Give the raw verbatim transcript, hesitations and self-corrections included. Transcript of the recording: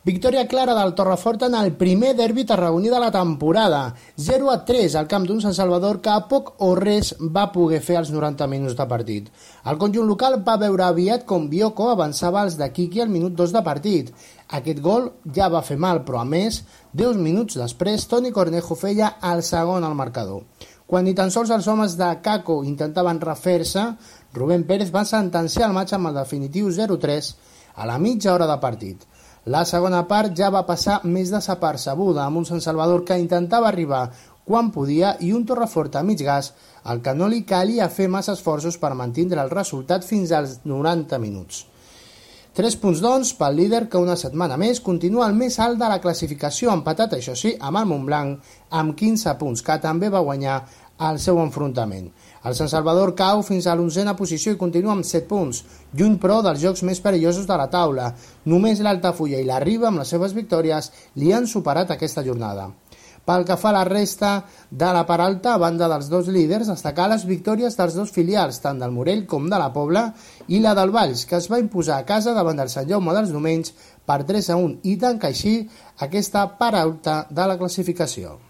Victòria clara del Torrefort en el primer derbi tarragoní de la temporada. zero a tres al camp d'un Sant Salvador que a poc o res va poder fer als noranta minuts de partit. El conjunt local va veure aviat com Bioko avançava als de Quiqui al minut dos de partit. Aquest gol ja va fer mal, però a més, deu minuts després, Toni Cornejo feia el segon al marcador. Quan ni tan sols els homes de Caco intentaven refer-se, Rubén Pérez va sentenciar el matx amb el definitiu zero a tres a la mitja hora de partit. La segona part ja va passar més desapercebuda, amb un Sant Salvador que intentava arribar quan podia i un Torrefort a mig gas, al que no li calia fer massa esforços per mantindre el resultat fins als noranta minuts. Tres punts, doncs, pel líder que una setmana més continua el més alt de la classificació, empatat, això sí, amb el Montblanc, amb quinze punts, que també va guanyar el seu enfrontament. El Sant Salvador cau fins a l'onzena posició i continua amb set punts, lluny però dels jocs més perillosos de la taula. Només l'Altafulla i la Riba, amb les seves victòries, li han superat aquesta jornada. Pel que fa a la resta de la part alta, a banda dels dos líders, destacar les victòries dels dos filials, tant del Morell com de la Pobla, i la del Valls, que es va imposar a casa davant del Sant Jaume dels Domenys per tres a un i tanca així aquesta part alta de la classificació.